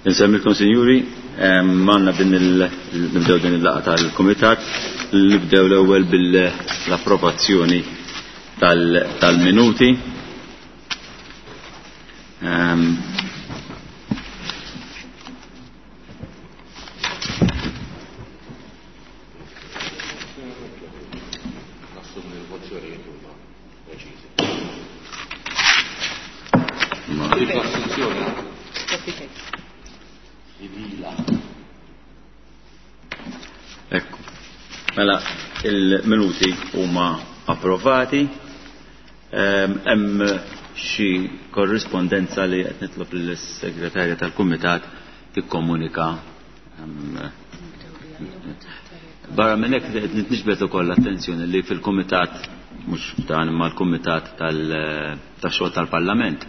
Insemmilkom sinjuri, għandna din nibdew din il-laqgħa tal-Kumitat, nibdew l-ewwel bil-approvazzjoni tal-minuti. Ekku. Mela, il-minuti huma approvati. Hemm xi korrispondenza li qed nitlob lill-segretarja tal-Kumitat tikkomunika. Barra minn hekk qed nitniġbed ukoll l-attenzjoni li fil-Kumitat mhux dan imma l-Kumitat tax-xogħol tal-Parlament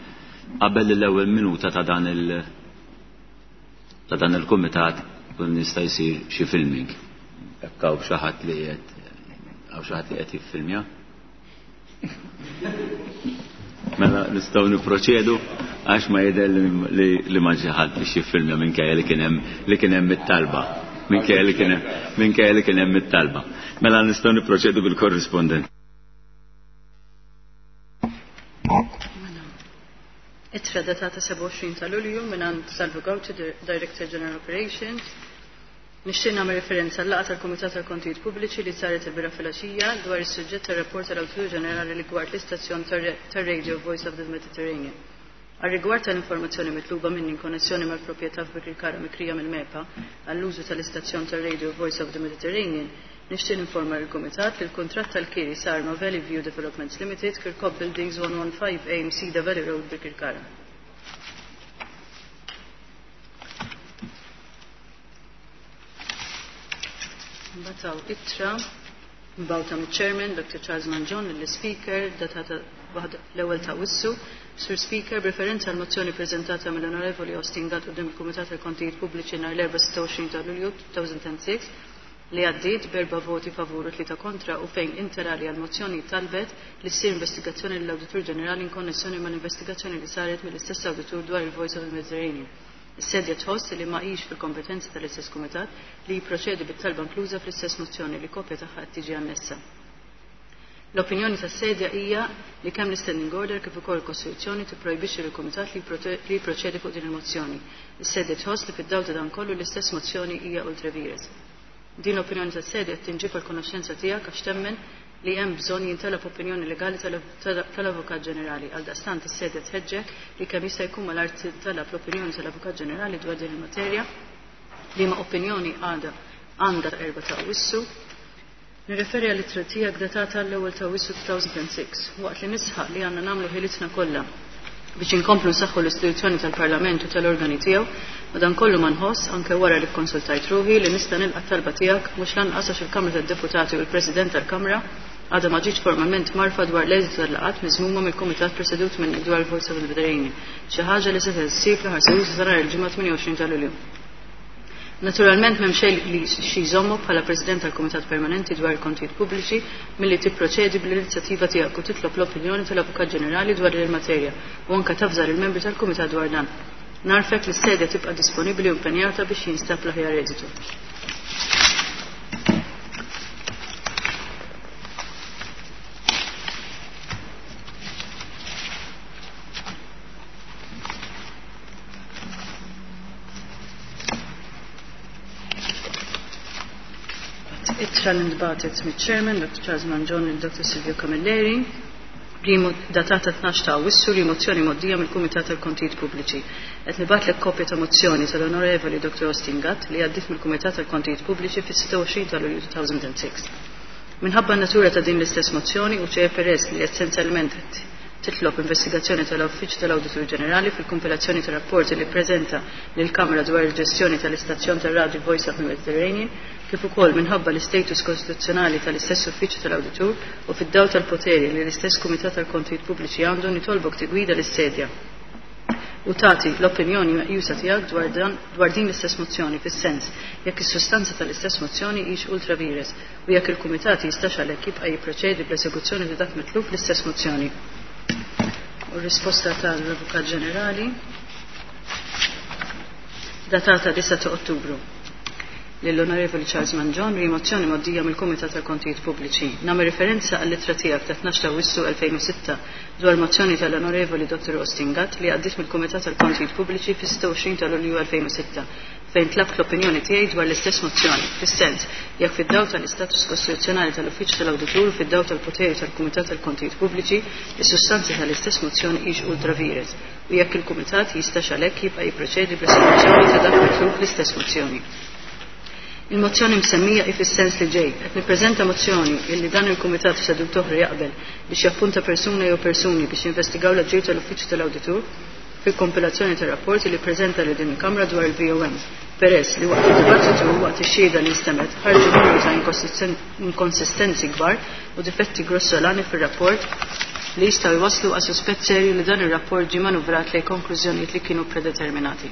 qabel l-ewwel minuta ta' dan il ta' dan il-kumitat kun jista' jsir xi filming. Hekk hawn xi ħadd li qed hawn xi ħadd li qed jiffilmja. Mela nistgħu nipproċedu għax ma jidher li ma ġie ħadd biex jiffilmja minkejja li kien hemm li kien hemm it-talba. Minkejja li kien hemm minkejja li kien hemm it-talba. Mela nistgħu nipproċedu bil-korrispondent. Ittra datata 27 ta' Lulju mingħand Salvo Gauci, Director General Operations. Nixtieq nagħmel referenza għal laqgħa tal-Kumitat tal-Kontijiet Pubbliċi li saret il-bieraħ filgħaxija dwar is-suġġett tar-rapport tal-Awditur Ġenerali rigward l-istazzjon tar-radio Voice of the Mediterranean. Għar-rigward tal-informazzjoni mitluba minni in konnessjoni mal-proprjetà f'Birkirkara mikrija mill-MEPA għall-użu tal-istazzjon tar-radio Voice of the Mediterranean, nixtieq ninforma lill-Kumitat li l-kuntratt tal-kiri sar ma' Valley View Developments Limited, Kirkop Buildings 115A Msida Valley Road, Birkirkara. Mbagħad hawn ittra mbagħta miċ-Chairman Dr. Charles Mangion lill-Speaker datata l-ewwel ta' Wissu. Sur Speaker, b'referenza għal mozzjoni preżentata mill-Onorevoli Austin Gatt quddiem il-Kumitat tal-Kontijiet Pubbliċi nhar l-Erbgħa 26 ta' Lulju 2006 li għaddiet b'erba' voti favur u tlieta kontra u fejn inter alia l-mozzjoni talbet li ssir investigazzjoni lill-Awditur Ġenerali in konnessjoni mal-investigazzjoni li saret mill-istess awditur dwar il-Voice of the Mediterranean. Is-sedja tħoss li ma hix fil-kompetenza tal-istess kumitat li jipproċedi bit-talba inkluża fl-istess mozzjoni li kopja tagħha qed tiġi annessa. L-opinjoni tas-sedja hija li kemm l-Standing Order kif ukoll il-Kostituzzjoni tipprojbixxi lill-Kumitat li jipproċedi fuq din il-mozzjoni. Is-sedja tħoss li fid-dawl ta' dan kollu l-istess mozzjoni hija ultra vires. Din l-opinjoni tas-sedja qed tinġib għall-konoxxenza tiegħek għax temmen li hemm bżonn jintalab opinjoni legali tal-Avukat Ġenerali. Għaldaqstant is-sedja tħeġġek li kemm jista' jkun malajr tintalab l-opinjoni tal-Avukat Ġenerali dwar din il-materja, liema opinjoni għadha għandha erba' ta' Awwissu. Nirreferi għall-ittra tiegħek datata l-ewwel ta' Awwissu 2006, waqt li nisħaq li għandna nagħmlu ħilitna kollha biex inkomplu nsaħħu l-istituzzjoni tal-Parlament u tal-organi tiegħu, madankollu ma nħoss, anke wara li kkonsultajt ruħi, li nista' nilqa' t-talba tiegħek mhux lanqas għax il-Kamra tad-Deputati u l-President tal-Kamra għadha ma ġietx formalment mgħarrfa dwar l-eżitu tal-laqgħat miżmuma mill-Kumitat presedut minnek dwar il-Voice of the Mediterranean, xi ħaġa li setgħet issir fl-aħħar seduta ta' nhar il-Ġimgħa 28 ta' Lulju. Naturalment m'hemm xejn li xi jżommok bħala President tal-Kumitat Permanenti dwar il-Kontijiet Pubbliċi milli tipproċedi bl-inizjattiva tiegħek u titlob l-opinjoni tal-Avukat Ġenerali dwar din il-materja u anke tavża lill-membri tal-Kumitat dwar dan. Narfek li s-sedja tibqa' disponibbli u impenjata biex jinstab l-aħjar eżitu. Ittra li ntbagħtet miċ-Chairman Dr. Charles Mangion lil Dr. Silvio Camilleri, datata 12 ta' Awwissu, li mozzjoni mgħoddija mill-Kumitat tal-Kontijiet Pubbliċi. Qed nibgħatlek kopja ta' mozzjoni tal-Onorevoli Dr. Austin Gatt li għaddiet mill-Kumitat tal-Kontijiet Pubbliċi fis-26 ta' Lulju 2006. Minħabba n-natura ta' din l-istess mozzjoni u ċe peress li essenzjalment qed titlob investigazzjoni tal-Uffiċċju tal-Awditur Ġenerali fil-kompilazzjoni ta' rapporti li ppreżenta lill-Kamra dwar il-ġestjoni tal-istazzjon tar-radju Voice of the Mediterranean, kif ukoll minħabba l-istatus kostituzzjonali tal-istess Uffiċċju tal-Awditur u fid-dawl tal-poteri li l-istess Kumitat tal-Kontijiet Pubbliċi għandu, nitolbok tigwida lis-sedja u tagħti l-opinjoni meqjusa tiegħek dwar dan dwar din l-istess mozzjoni fis-sens jekk is-sustanza tal-istess mozzjoni hix ultra vires u jekk il-Kumitat jistax għalhekk jibqa' jipproċedi bl-eżekuzzjoni ta' dak mitlub fl-istess mozzjoni. U r-risposta tal-Avukat Ġenerali. Datata 9 ta' Ottubru. Lill-Onorevoli Charles Mangion, rimozzjoni mgħoddija mill-Kumitat tal-Kontijiet Pubbliċi. Nagħmel referenza għall-ittra tiegħek ta' 12 ta' Awwissu 2006 dwar mozzjoni tal-Onorevoli Dr. Austin Gatt li għaddiet mill-Kumitat tal-Kontijiet Pubbliċi fis-26 ta' Lulju 2006 fejn tlabt l-opinjoni tiegħi dwar l-istess mozzjoni, fis-sens jekk fid-dawl tal-istatus kostituzzjonali tal-Uffiċċju tal-Awditur u fid-dawl tal-poteri tal-Kumitat tal-Kontijiet Pubbliċi, is-sustanza tal-istess mozzjoni hix ultra vires u jekk il-Kumitat jistax għalhekk jibqa' jipproċedi bl-esekuzzjoni ta' dak mitlub fl-istess mozzjoni. Il-mozzjoni msemmija hi fis-sens li ġej. Qed nippreżenta mozzjoni illi dan il-Kumitat f'seduta oħra jaqbel biex jappunta persuna jew persuni biex jinvestigaw l-aġir tal-Uffiċċju tal-Awditur fil-kompilazzjoni tar-rapport li ppreżenta lil din il-Kamra dwar il-VOM peress li waqt id-dibattitu u waqt ix-xhieda li nstemgħet ħarġu numru ta' inkonsistenzi kbar u difetti grossolani fir-rapport li jistgħu jwasslu għal suspett serju li dan ir-rapport ġie manuvrat lejn konklużjonijiet li kienu predeterminati.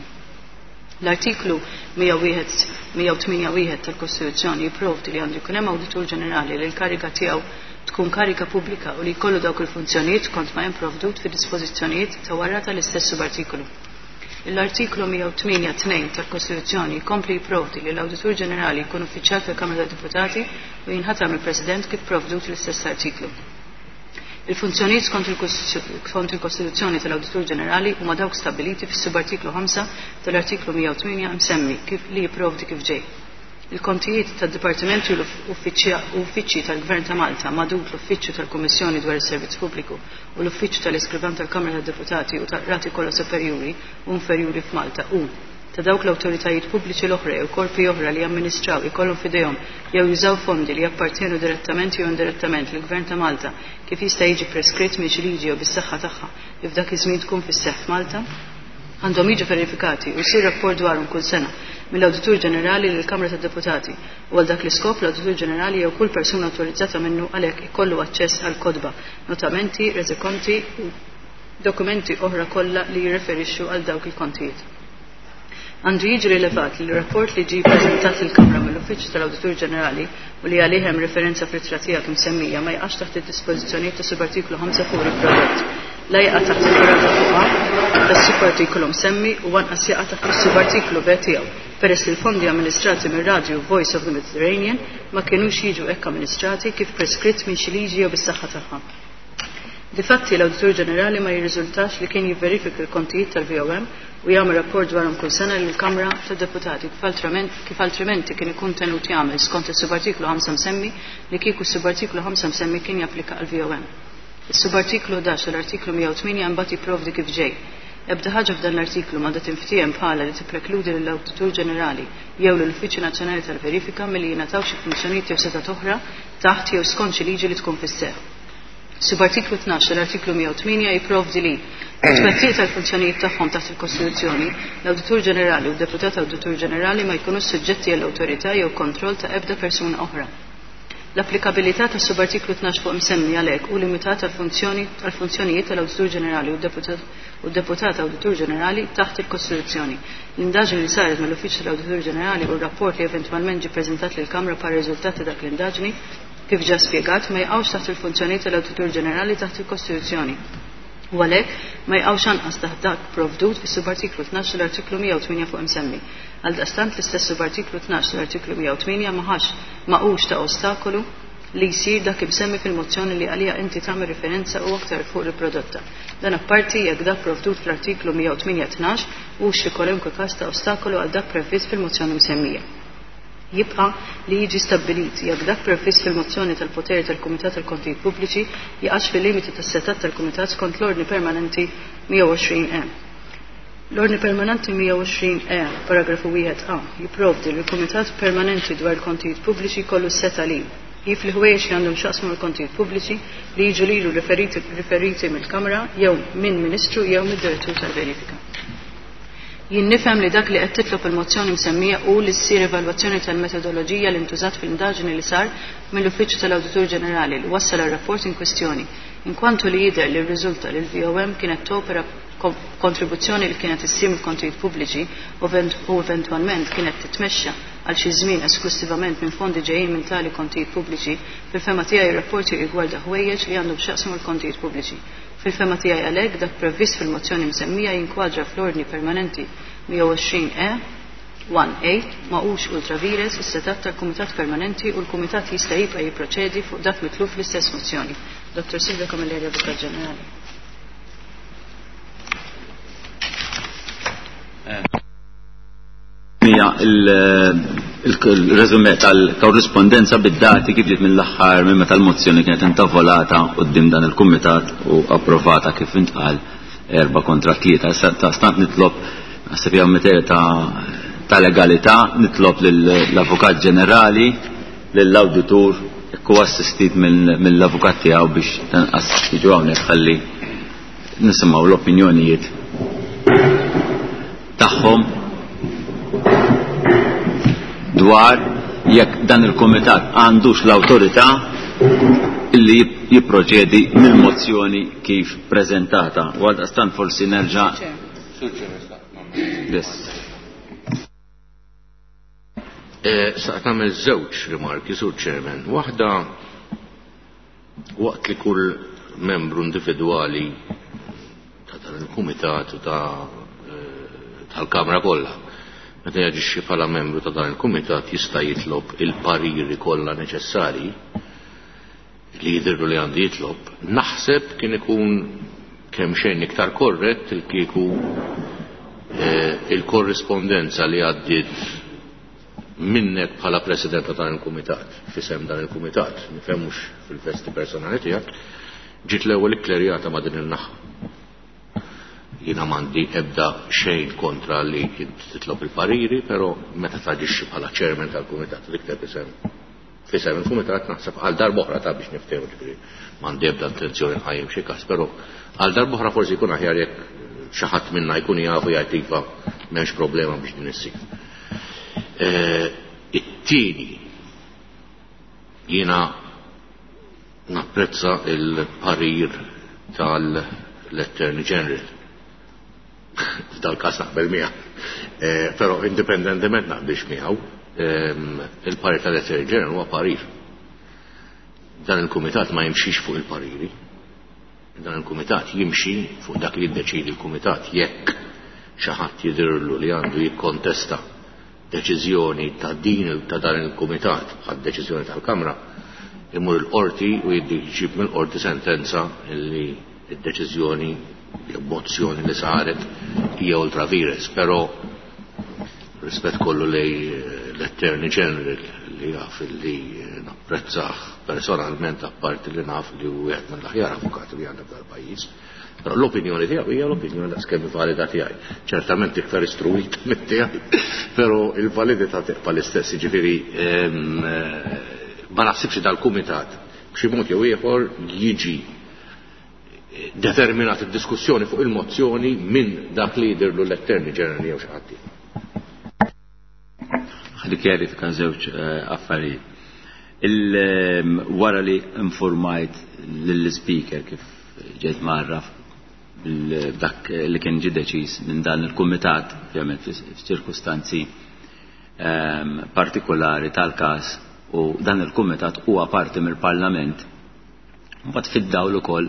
L-Artiklu 101 108 tal-Kostituzzjoni jipprovdi li għandu jkun hemm Awditur Ġenerali li l-kariga tiegħu tkun kariga pubblika u li jkollu dawk il-funzjonijiet skont ma hemm provdut fid-dispożizzjonijiet ta' wara tal-istess subartikolu. L-Artiklu 108 2 tal-Kostituzzjoni jkompli jipprovdi li l-Awditur Ġenerali jkun uffiċjal tal-Kamra tad-Deputati u jinħatar mill-President kif provdut fl-istess artiklu. Il-funzjonijiet skont il-Kostituzzjoni tal-Awditur Ġenerali huma dawk stabbiliti fis-subartiklu 5 tal-Artiklu 108 msemmi kif li jipprovdi kif ġej. Il-kontijiet tad-dipartimenti u l-uffiċċji tal-Gvern ta' Malta magħdud l-Uffiċċju tal-Kummissjoni dwar is-Servizz Pubbliku u l-Uffiċċju tal-Iskrivan tal-Kamra tad-Deputati u tal-Qrati kollha superjuri u inferjuri f'Malta u ta' dawk l-awtoritajiet pubbliċi l-oħra jew korpi oħra li jamministraw, ikollhom f'idejhom jew jużaw fondi li jappartjenu direttament jew indirettament lill-Gvern ta' Malta kif jista' jiġi preskritt minn xi liġi jew bis-saħħa tagħha li f'dak iż-żmien tkun fis-seħħ f'Malta, għandhom jiġu verifikati u jsir rapport dwarhom kull sena mill-Awditur Ġenerali lill-Kamra tad-Deputati u għal dak l-iskop l-Awditur Ġenerali jew kull persuna awtorizzata minnu għalhekk ikollu aċċess għall-kotba, notamenti, reżikonti u dokumenti oħra kollha li jirreferixxu għal dawk il-kontijiet. Għandu jiġi rilevat li r-rapport li ġie ppreżentat lill-Kamra mill-Uffiċċju tal-Awditur Ġenerali u li għalih hemm referenza fl-ittra tiegħek imsemmija ma jaqax taħt id-dispożizzjonijiet ta' subartiklu 5 fuq riprodott. La jaqa' taħt il-paragrafu A tas-subartikolu msemmi u anqas jaqa' taħt is-subartiklu B tiegħu peress li l-fondi amministrati mir-radju Voice of the Mediterranean ma kinux jiġu hekk amministrati kif preskritt minn xi liġi jew bis-saħħa tagħha. Difatti, l-Awditur Ġenerali ma jirriżultax li kien jivverifika l-kontijiet tal-VOM u jagħmel rapport dwarhom kull sena lill-Kamra tad-Deputati kif altrimenti kien ikun tenut jagħmel skont is-subartiklu 5 msemmi li kieku s-subartiklu 5 msemmi kien japplika għall-VOM. Is-subartiklu 11 tal-artiklu 108 imbagħad jipprovdi kif ġej, Ebda ħaġa f'dan l-artiklu m'għandha tinftiehem bħala li tipprekludi lill-Awditur Ġenerali jew lill-Uffiċċju Nazzjonali tal-Verifika milli jingħataw xi funzjonijiet jew setgħat oħra taħt jew skont xi liġi li tkun fis-seħħ. Subartiklu 12 tal-Artiklu 108 jipprovdi li, fit-twettiq tal-funzjonijiet tagħhom taħt il-Kostituzzjoni, l-Awditur Ġenerali u d-Deputat Awditur Ġenerali ma jkunux suġġetti għall-awtorità jew kontroll ta' ebda persuna oħra. L-applikabilità tas-subartiklu 12 fuq imsemmi għalhekk hu limitat għall-funzjonijiet tal-Awditur Ġenerali u d-Deputat Awditur Ġenerali taħt il-Kostituzzjoni. L-indaġni li saret mill-Uffiċċju tal-Awditur Ġenerali u r-rapport li eventwalment ġie ppreżentat lill-Kamra bħala riżultat ta' dak l-indaġni kif ġa spjegat, ma jaqgħux taħt il-funzjonijiet tal-Awditur Ġenerali taħt il-Kostituzzjoni u għalhekk ma jaqgħux anqas taħt dak provdut fis-subartiklu 12 tal-Artiklu 108 fuq imsemmi. Għaldaqstant l-istess subartiklu 12 tal-Artiklu 108 ma ħax ma hux ta' ostakolu li jsir dak imsemmi fil-mozzjoni li għaliha inti tagħmel riferenza u aktar 'il fuq riprodotta. Dan apparti jekk dak provdut fl-Artiklu 108 12 hux fi kwalunkwe każ ta' ostakolu għal dak previst fil-mozzjoni msemmija. Jibqa' li jiġi stabbilit jekk dak previst fil-mozzjoni tal-poteri tal-Kumitat tal-Kontijiet Pubbliċi jaqax fil-limiti tas-setgħat tal-Kumitat skont l-Ordni Permanenti 120 E. L-Ordni Permanenti 120 E, paragrafu 1 A, jipprovdi li l-Kumitat Permanenti dwar il-Kontijiet Pubbliċi jkollu s-setgħa li jifli ħwejjeġ li għandhom x'jaqsmu mal-kontijiet pubbliċi li jiġu lilu riferiti mill-Kamra jew minn Ministru jew mid-Direttur tal-Verifika. Jien nifhem li dak li qed titlob il-mozzjoni msemmija hu li ssir evalwazzjoni tal-metodoloġija li ntużat fl-indaġni li sar mill-Uffiċċju tal-Awditur Ġenerali li wassal għar-rapport in kwistjoni, inkwantu li jidher li rriżulta li l-VOM kienet topera b'kontribuzzjoni li kienet issir mill-kontijiet pubbliċi u eventwalment kienet titmexxa għal xi żmien esklussivament minn fondi ġejjin minn tali kontijiet pubbliċi. Fil-fehma tiegħi r-rapport jirrigwarda ħwejjeġ li għandhom x'jaqsmu mal-kontijiet pubbliċi. Fil-fehma tiegħi għalhekk dak previst fil-mozzjoni msemmija jinkwadra fl-Ordni Permanenti 120 E. 1A ma hux ultra vires is-setgħat tal-Kumitat Permanenti u l-Kumitat jista' jibqa' jipproċedi fuq dak mitlub fl-istess mozzjoni. Dr. Silvia Camilleri, Avukat Ġenerali. Hija il-resume tal-korrispondenza bid-dati kif ġiet mill-aħħar minn meta l-mozzjoni kienet intavolata quddiem dan il-kumitat u approvata kif intqal 4 kontra 3. Issa ta' stant nitlob, naħseb hija materja ta' legalità, nitlob lill-Avukat Ġenerali, lill-Awditur, jekk assistit mill-avukat tiegħu biex tanqas jiġu hawnhekk ħalli nisimgħu l-opinjonijiet tagħhom dwar jekk dan il-kumitat għandux l-awtorità illi jipproċedi mill-mozzjoni kif preżentata. U għaldaqstant forsi nerġa'. Yes. Xtaqt nagħmel żewġ rimarki, Sur Chairman. Waħda, waqt li kull membru individwali ta' dan il-kumitat u ta' tal-Kamra kollha, meta jaġixxi bħala membru ta' dan il-kumitat, jista' jitlob il-pariri kollha neċessarji li jidhirlu li għandu jitlob, naħseb kien ikun kemm xejn iktar korrett il-kieku il-korrispondenza li għaddiet minnek bħala president ta' dan il-kumitat, f'isem dan il-kumitat, nifhem mhux fil-vesti personali tiegħek, ġiet l-ewwel ikklerjata ma' din il-naħa. Jiena m'għandi ebda xejn kontra li titlob il-pariri, però meta taġixxi bħala chairman tal-kumitat, l-iktar isem f'isem il-kumitat, naħseb għal darb'oħra ta' biex niftehmu, ġifieri m'għandi ebda intenzjoni nqajjem xi każ, però għal darb'oħra forsi jkun aħjar jekk xi ħadd minna jkun jafu jgħid iva, m'hemmx problema biex din issir. It-tieni, jiena napprezza il-parir tal-Attorney General. F'dal-każ naqbel miegħu. Però indipendentement naqbilx miegħu, il-parir tal-Attorney General huwa parir. Dan il-kumitat ma jimxix fuq il-pariri. Dan il-kumitat jimxi fuq dak li jiddeċidi l-kumitat. Jekk xi ħadd jidhirlu li għandu jikkontesta deċiżjoni ta' din ta' dan il-kumitat bħal deċiżjoni tal-Kamra, imur il-qorti u jġib mill-qorti sentenza li d-deċiżjoni jew mozzjoni li saret hija ultra vires, però rispett kollu lej l-Attorney General, li jaf li napprezzah personalment, apparti li naf li hu wieħed mill-aħjar avukati li għandna f'dal-pajjiż. Però l-opinjoni tiegħu hija l-opinjoni daqskemm valida tiegħi. Ċertament iktar istruit mit tiegħi, però il-validità tibqa' l-istess, jiġifieri ma naħsibx dal-kumitat b'xi mod jew ieħor jiġi determinat id-diskussjoni fuq il-mozzjoni minn dak li jidhirlu l-Attorney General jew xi ħadd. Ħalli kjarifika żewġ affarijiet. Wara li informajt lill-speaker kif ġejt mgħarraf dak li kien ġi deċiż minn dan il-kumitat, ovvjament f'ċirkustanzi partikolari tal-każ u dan il-kumitat huwa parti mill-Parlament. Mbagħad fid-dawl ukoll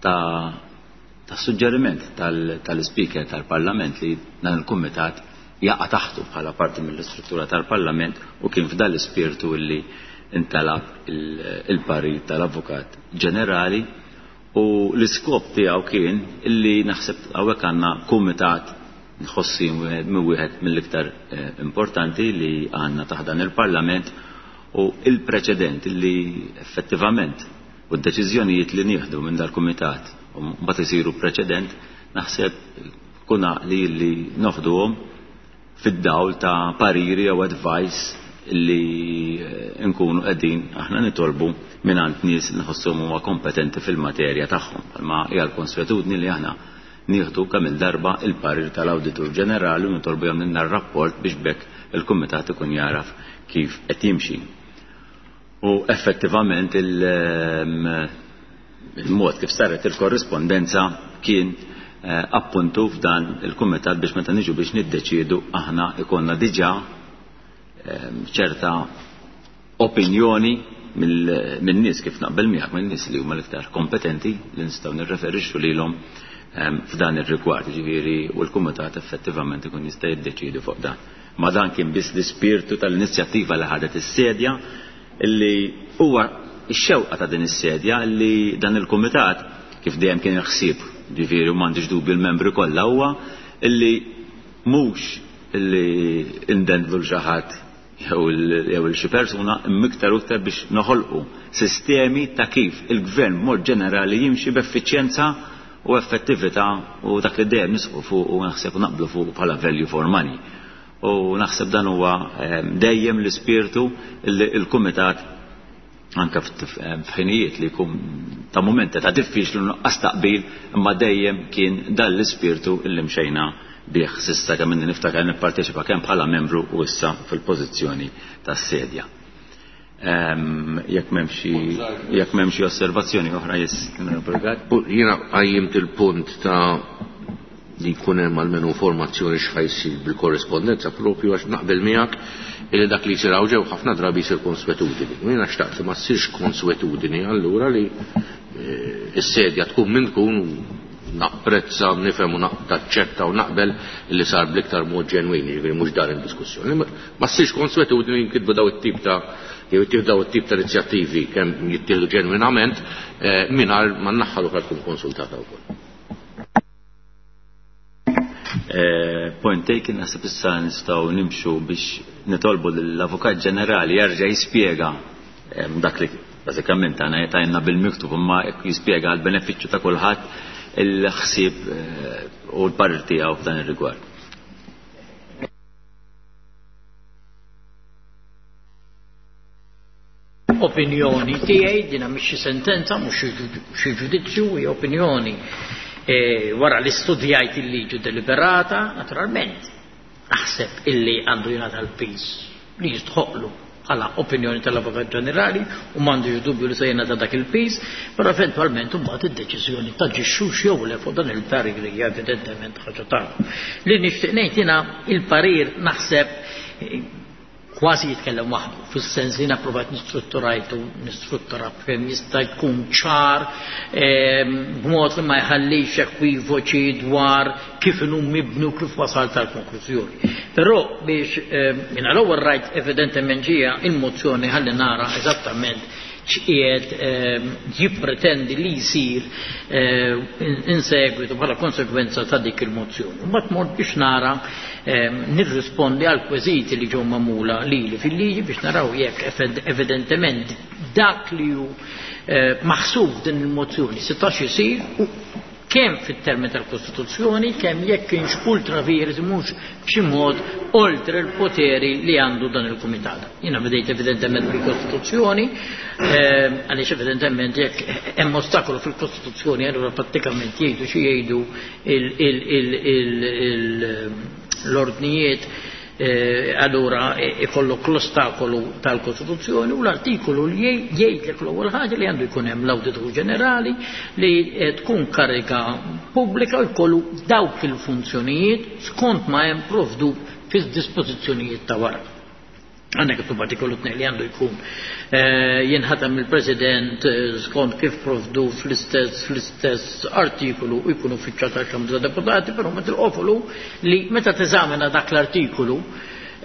ta' suġġeriment tal-speaker tal-Parlament li dan il-kumitat jaqa' taħtu bħala parti mill-istruttura tal-Parlament, u kien f'dan l-ispirtu li intalab il-parir tal-Avukat Ġenerali, u l-iskop tiegħu kien illi naħseb hawnhekk għandna kumitat nħossi minn wieħed mill-iktar importanti li għandna taħt dan il-Parlament, u il-preċedent li effettivament u d-deċiżjonijiet li nieħdu minn dal-kumitat u mbagħad isiru preċedent, naħseb kun għaqli li noħduhom fid-dawl ta' pariri jew advice li nkunu qegħdin aħna nitolbu mingħand nies li nħossuhom huma kompetenti fil-materja tagħhom. Ma hija l-konswetudni li aħna nieħdu kemm il-darba il-parir tal-Awditur Ġenerali u nitolbu jagħmlilna r-rapport biex bekk il-kumitat ikun jaraf kif qed jimxi. U effettivament il-mod kif saret il-korrispondenza kien appuntu f'dan il-kumitat biex meta niġu biex niddeċiedu aħna ikonna diġà ċerta opinjoni minn nies, kif naqbel miegħek, minn nies li huma l-iktar kompetenti li nistgħu nirreferixxu lilhom. f'dan ir-rigward, ġifieri u l-kumitat effettivament ikun jista' jiddeċiedi fuq dan. Ma dan kien biss l-ispirtu tal-inizjattiva li ħadet is-sedja illi huwa x-xewqa ta' din is-sedja li dan il-kumitat kif dejjem kien il-ħsieb, ġifieri u m'għandix dubju l-membri kollha huwa illi mhux illi indendlu l xi ħadd jew il xi persuna imma iktar u iktar biex noħolqu sistemi ta' kif il-gvern b'mod ġenerali jimxi b'effiċjenza u effettività u dak li dejjem nisqu fuq u naħseb u naqblu fuq bħala value for money. U naħseb dan huwa dejjem l-ispirtu li l-kumitat anke f'ħinijiet li jkun ta' mumenti ta' diffiċli nuqqas taqbil imma dejjem kien dan l-ispirtu li mxejna bih s'issa kemm inni niftakar nipparteċipa kemm bħala membru u issa fil-pożizzjoni tas-sedja. Jekk m'hemm xi osservazzjoni oħra yes, Jiena qajjimt il-punt ta' li jkun hemm almenu informazzjoni x'ħa jsir bil-korrispondenza propju għax naqbel miegħek illi dak li jsir hawn ġew ħafna drabi jsir konswetudini. U jiena xtaqt li ma ssirx konswetudini allura li s-sedja tkun min tkun napprezza, nifhem u naċċetta u naqbel li sar bl-iktar mod ġenwin, jiġifieri mhux dan il-diskussjoni. Ma ssirx konswetudini jinkitbu daw it-tip ta' jew jittieħdu daw it-tip ta' inizjattivi kemm jittieħdu ġenwinament mingħajr ma n-naħa l-oħra tkun konsultata wkoll. Point taken, naħseb issa nistgħu nimxu biex nitolbu lill-Avukat Ġenerali jerġa' jispjega dak li bażikament għana tajna bil-miktub imma jispjega għal benefiċċju ta' kulħadd il-ħsieb u l-parir tiegħu f'dan ir-rigward. Opinjoni tiegħi dina mhix xi sentenza, mhux xi ġudizzju, hija opinjoni wara li studjajt il-liġi deliberata, naturalment, naħseb illi għandu jingħata l-piż li jistħoqlu bħala opinjoni tal-Avukat Ġenerali u m'għandux dubju li se jingħata dak il-piż, però eventwalment imbagħad id-deċiżjoni taġixxux jew le fuq dan il-parir hija evidentement ħaġa tagħhom. Li nixtieq ngħid jiena il-parir naħseb kważi jitkellem waħdu, fis-sens li napprovat nistrutturajtu, nistruttura kemm jista' jkun ċar, b'mod li ma jħallix ekwivoċi dwar kif inhu mibnu kif wasal tal-konklużjoni. Però biex jiena l-ewwel rajt evidentement ġija il-mozzjoni ħalli nara eżattament x'qiegħed jippretendi li jsir in segwitu bħala konsekwenza ta' dik il-mozzjoni. Mbagħad mort biex nara nirrispondi għal kweżiti li ġew magħmula lili fil-liġi biex naraw jekk evidentement dak li hu maħsub din il-mozzjoni setax isir u kemm fit-termini tal-Kostituzzjoni, kemm jekk kienx ultra vires mhux b'xi mod oltre l-poteri li għandu dan il-Kumitat. Jiena bdejt evidentement bil-Kostituzzjoni, għaliex evidentement jekk hemm ostakolu fil-Kostituzzjoni allura prattikament jgħidu xi jgħidu l-ordnijiet, allura ikollok l-ostakolu tal-Kostituzzjoni u l-artikolu li jgħidlek l-ewwel ħaġa li għandu jkun hemm l-Awditur Ġenerali li tkun kariga pubblika u jkollu dawk il-funzjonijiet skont ma hemm provdu fis-dispożizzjonijiet ta' wara. Għandek it-artikolu 2 li għandu jkun jinħatem il-President skont kif provdu fl-istess artikolu u jkun uffiċjal tal-Kamra ta' Deputati, però meta l-qofolu li meta teżamina dak l-artikolu,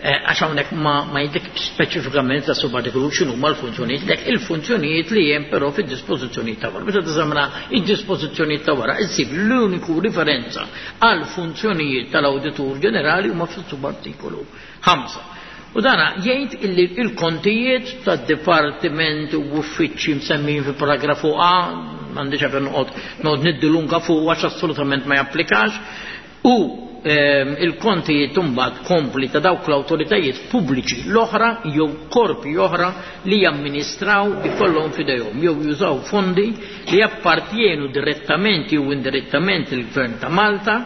għax hawnhekk ma jiddik speċifikament ta' subartikolu x'inhu huma l-funzjonijiet, dak il-funzjonijiet li hemm però fid-dispożizzjonijiet ta' wara. Meta teżamina id-dispożizzjonijiet ta' wara, issib l-uniku riferenza għal funzjonijiet tal-Awditur Ġenerali huma fis-subartikolu 5. U dana jgħid illi il-kontijiet tad-dipartiment u uffiċċji msemmijin fi paragrafu A, m'għandix għalfejn noqgħod niddilunga fuq għax assolutament ma japplikax, u il-kontijiet imbagħad kompli ta' dawk l-awtoritajiet pubbliċi l-oħra jew korpi oħra li jamministraw ikollhom f'idejhom jew jużaw fondi li jappartjenu direttament jew indirettament il-Gvern ta' Malta,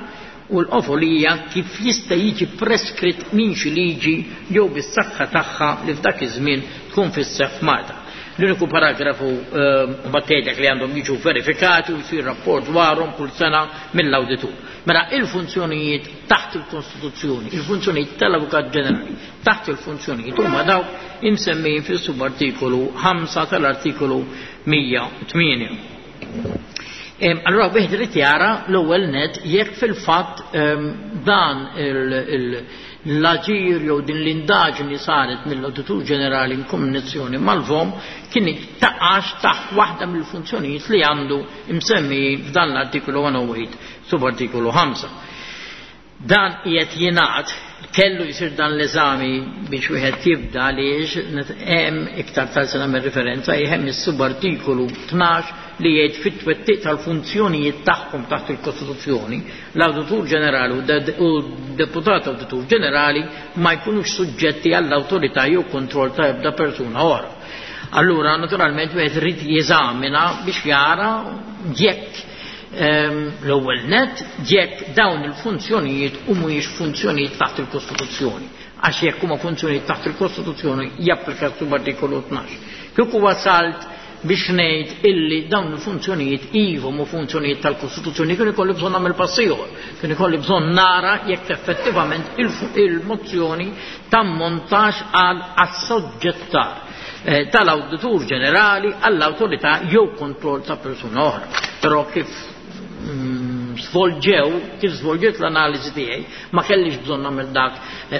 u l-qofol hija kif jista' jiġi preskritt minn xi liġi jew bis-saħħa tagħha li f'dak iż-żmien tkun fis-seħħ f'Malta. L-uniku paragrafu mbagħad tgħidlek li għandhom jiġu verifikati u jsir rapport dwarhom kull sena mill-awditur. Mela il-funzjonijiet taħt il-Kostituzzjoni, il-funzjonijiet tal-Avukat Ġenerali taħt il-funzjonijiet huma dawk imsemmijin fis-subartikolu 5 tal-artikolu 108. Allura wieħed irid jara l-ewwel net jekk fil-fatt dan l-aġir jew din l-indaġni saret mill-Awditur Ġenerali in kombinazzjoni mal-VOM kien taqax taħt waħda mill-funzjonijiet li għandu msemmi f'dan l-artikolu 108 subartikolu 5. Dan qiegħed jingħad kellu jsir dan l-eżami biex wieħed jibda għaliex hemm iktar tard se nagħmel referenza hemm is-subartikolu 12 li jgħid fit-twettiq tal-funzjonijiet tagħhom taħt il-Kostituzzjoni l-Awditur Ġenerali u d-Deputat Awditur Ġenerali ma jkunux suġġetti għall-awtorità jew kontroll ta' ebda persuna oħra. Allura naturalment wieħed irid jeżamina biex jara jekk l-ewwel net jekk dawn il-funzjonijiet u mhuwiex funzjonijiet taħt il-Kostituzzjoni. Għax jekk huma funzjonijiet taħt il-Kostituzzjoni japplika subartikolu 12. Kieku wasalt biex ngħid illi dawn il-funzjonijiet iva mu funzjonijiet tal-Kostituzzjoni kien ikolli bżonn nagħmel pass ieħor, kien ikolli bżonn nara jekk effettivament il-mozzjoni tammontax għal assoġġettar tal-Awditur Ġenerali għall-awtorità jew kontroll ta' persuna oħra. Però kif svolġew, kif svolġiet l-analiżi tiegħi, ma kellix bżonn nagħmel dak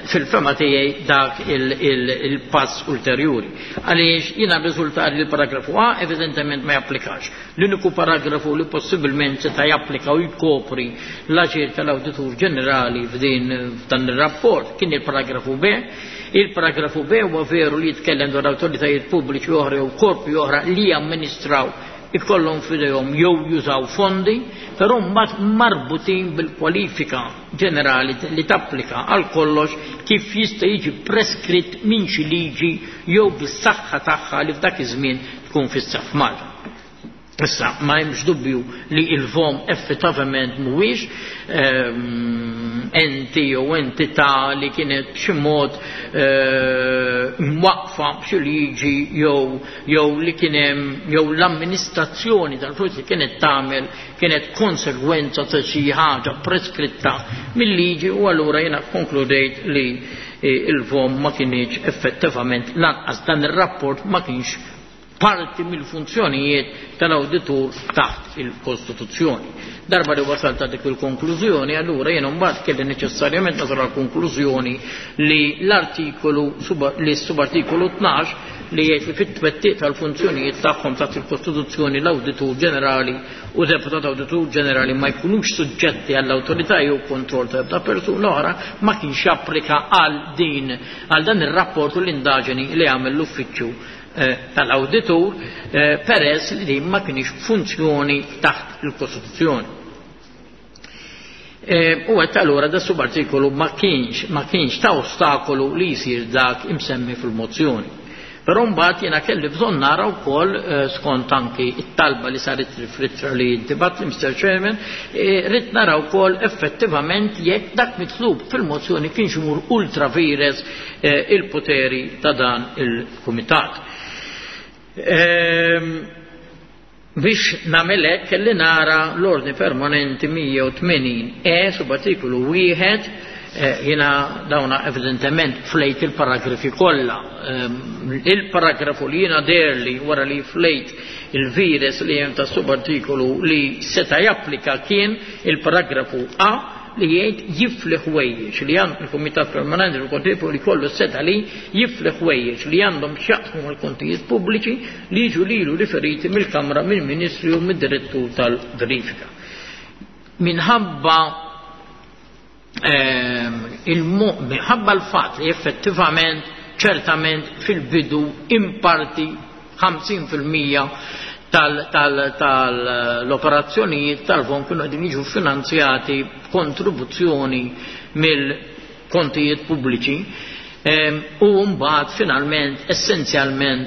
fil-fema tiegħi dak il-pass ulterjuri. Għaliex jiena rriżultat li l-paragrafu A evidentement ma japplikax. L-uniku paragrafu li possibilment seta' japplika u jkopri l-aġir tal-Awditur Ġenerali f'din f'dan ir-rapport kien il-paragrafu B. Il-paragrafu B huwa veru li jitkellem dwar awtoritajiet pubbliċi oħra jew korpi oħra li jamministraw ikollhom f'idejhom jew jużaw fondi, però mbagħad marbutin bil-kwalifika ġenerali li tapplika għal kollox kif jista' jiġi preskritt minn xi liġi jew bis-saħħa tagħha li f'dak iż-żmien tkun fis-seħħ f'Malta. Issa, ma hemmx dubju li il-VOM effettivament mhuwiex enti jew entità li kienet b'xi mod mwaqqfa b'xi liġi jew li kien hemm jew l-amministrazzjoni tal-flus li kienet tagħmel kienet konsegwenza ta' xi ħaġa preskritta mill-liġi u allura jiena konkludejt li il-VOM ma kienx effettivament lanqas dan ir-rapport ma kienx parti mill-funzjonijiet tal-awditur taħt il-Kostituzzjoni. Darba li wasalt dik il-konklużjoni, allura jiena mbagħad kelli neċessarjament nasal għall-konklużjoni li l-artikolu li s-subartikolu 12 li jgħid li fit-twettiq tal-funzjonijiet tagħhom taħt il-Kostituzzjoni l-Awditur Ġenerali u Deputat Awditur Ġenerali ma jkunux suġġetti għall-awtorità jew kontroll ta' ebda persuna oħra ma kienx japplika għal din għal dan ir-rapport u l-indaġeni li għamel l-uffiċċju tal-awditur peress li din ma kienx funzjoni taħt il-Kostituzzjoni. U għedt allura da subartikolu ma kienx ta' ostakolu li jsir dak imsemmi fil-mozzjoni. Però mbagħad jiena kelli bżonn nara wkoll skont anki it-talba li saret fl-ittra li intibat li Mr. Chairman, rrid nara wkoll effettivament jekk dak mitlub fil-mozzjoni kienx imur ultra vires il-poteri ta' dan il-kumitat. Biex nagħmel hekk kelli nara l-ordni permanenti 180 E subartikolu 1 jiena dawna evidentement flejt il-paragrafi kollha. Il-paragrafu li jiena derli wara li flejt il-vires li hemm ta' subartikolu li seta' japplika kien il-paragrafu A li jgħid jifli ħwejjeġ li għand il-Kumitat Permanenti tal Kontijiet li kollu seta' li jifli ħwejjeġ li għandhom x'jaqsmu mal-kontijiet pubbliċi li jiġu lilu riferiti mill-Kamra, mill-Ministri u mid-Direttur tal-Verifika. Minħabba minħabba l-fatt li effettivament ċertament fil-bidu imparti 50% tal-operazzjonijiet tal-fond kienu qegħdin jiġu finanzjati b'kontribuzzjoni mill-kontijiet pubbliċi u mbagħad finalment essenzjalment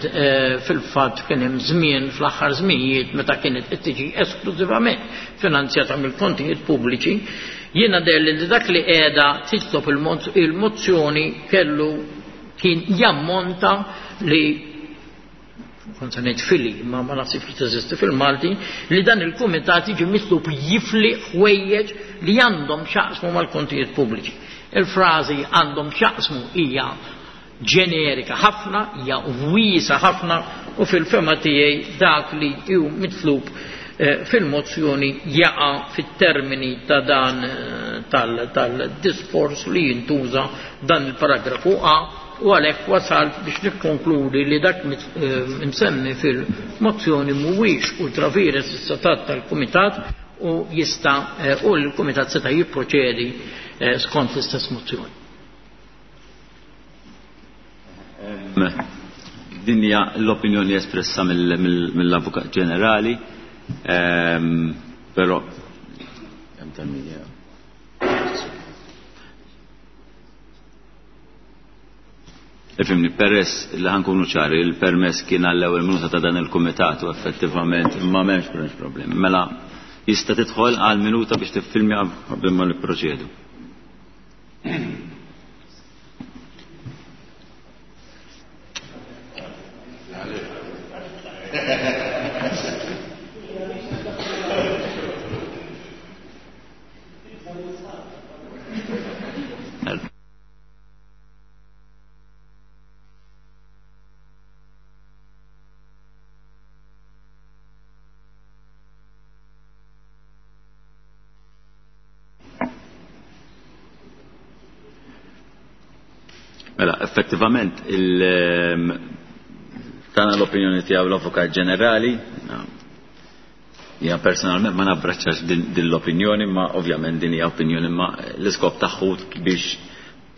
fil-fatt kien hemm żmien fl-aħħar żminijiet meta kienet qed tiġi esklużivament finanzjata mill-kontijiet pubbliċi, jiena deher li dak li qiegħda titlob il-mozzjoni kellu kien jammonta li kont se ngħid fili, ma ma naħsibx li teżisti fil-Malti, li dan il-kumitat jiġi mitlub jifli ħwejjeġ li għandhom x'jaqsmu mal-kontijiet pubbliċi. Il-frażi għandhom x'jaqsmu hija ġenerika ħafna, hija wiesa ħafna u fil-fema tiegħi dak li hu mitlub fil-mozzjoni jaqa' fit-termini ta' dan tal-diskors li jintuża dan il-paragrafu A, u għalhekk wasalt biex nikkonkludi li dak msemmi fil-mozzjoni mhuwiex ultra vires is-setat tal-Kumitat u jista' u l-Kumitat seta' jipproċedi skont l-istess mozzjoni. Din hija l-opinjoni espressa mill-Avukat Ġenerali, però hemm tal-media. Ifimni, peress li ħankunu ċari, il-permess kien għall-ewwel minuta ta' dan il-kumitat u effettivament ma m'hemmx problemi. Mela jista' tidħol għal minuta biex tiffilmja qabel ma nipproċedu. Mela, effettivament, tana l-opinjoni tiegħu l-Avukat Ġenerali, jien personalment ma nabbraċċax din l-opinjoni, ma ovvjament din hija opinjoni, ma l-iskop tagħhu biex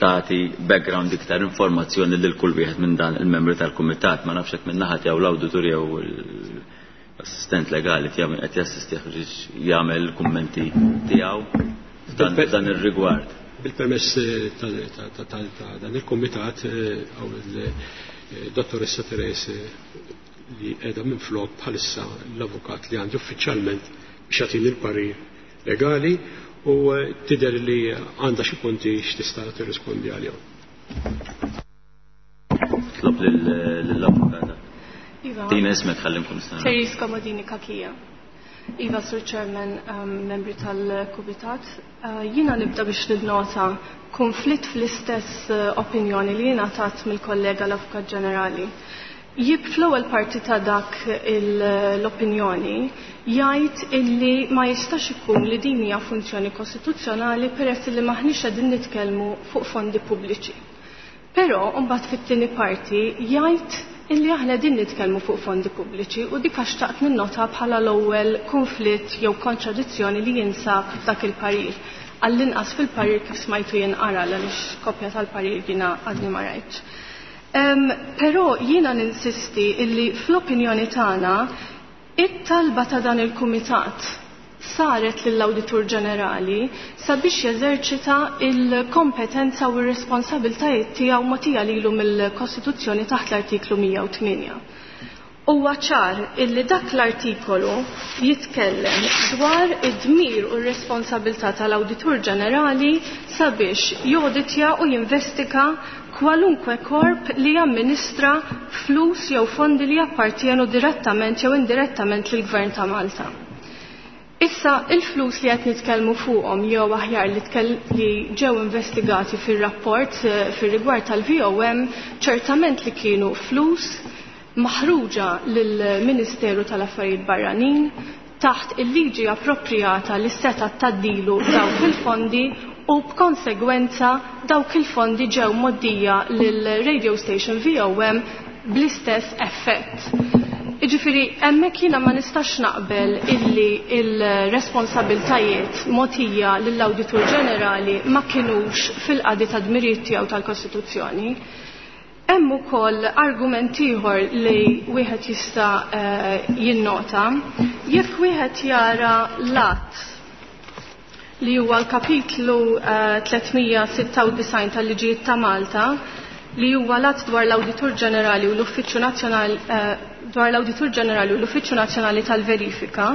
tagħti background iktar informazzjoni lil kull wieħed minn dan il-membri tal-kumitat, ma nafx hekk minn naħa tiegħu l-awditur jew l-assistent legali tiegħu qed jassistih biex jagħmel kummenti tiegħu f'dan ir-rigward. Bil-permess ta' dan il-komitat għaw il-dottoressa Terese li qiegħda minn flok bħalissa l-avukat li għandi uffiċjalment biex jagħtini l-parir legali u tidher li għandha xi punti x'tista' tirrispondi għalihom. Tlob lill-avukata. Tina ismek ħalli nkun nista'. Therese Comodini Cachia. Iva, Sur Chairman, membri tal-Kumitat. Jiena nibda biex nilnota konflitt fl-istess opinjoni li jiena tat mill-kollega l-Avukat Ġenerali. Jib fl-ewwel parti ta' dak l-opinjoni jgħid illi ma jistax ikun li din hija funzjoni kostituzzjonali peress li maħniex qegħdin nitkellmu fuq fondi pubbliċi. Però mbagħad fit-tieni parti jgħid illi aħna din nitkellmu fuq fondi pubbliċi u dik għax xtaqt ninnota bħala l-ewwel konflitt jew kontradizzjoni li jinsab f'dak il-parir. Għall-inqas fil-parir kif smajtu jinqara għaliex kopja tal-parir jiena għadni ma rajtx. Però jiena ninsisti illi fl-opinjoni tagħna it-talba ta' dan il-kumitat saret lill-Awditur Ġenerali sabiex jeżerċita il-kompetenza u r-responsabiltajiet tiegħu mogħtija lilu mill-Kostituzzjoni taħt l-artiklu 108. Huwa ċar illi dak l-artikolu jitkellem dwar id-dmir u r-responsabilità tal-Awditur Ġenerali sabiex joditja u jinvestiga kwalunkwe korp li jamministra flus jew fondi li jappartienu direttament jew indirettament lill-Gvern ta' Malta. Issa, il-flus li qed nitkellmu fuqhom jew aħjar li ġew investigati fir-rapport fir-rigward tal-VOM ċertament li kienu flus maħruġa lill-Ministeru tal-Affarijiet Barranin taħt il-liġi appropriata li seta taddilu dawk il-fondi u b'konsegwenza dawk il-fondi ġew moddija lill-radio station VOM bl-istess effett. Jiġifieri hemmhekk jiena ma nistax naqbel illi il-responsabiltajiet mogħtija lill-Awditur Ġenerali ma kinux fil-qadi ta' dmirijiet tiegħu tal-Kostituzzjoni. Hemm ukoll argument ieħor li wieħed jista' jinnota. Jekk wieħed jara l-att li huwa l-kapitlu 396 tal-Liġijiet ta' Malta, li huwa l-att dwar l-Awditur Ġenerali u l-Uffiċċju Nazzjonali dwar l-Awditur Ġenerali u l-Uffiċċju Nazzjonali tal-Verifika,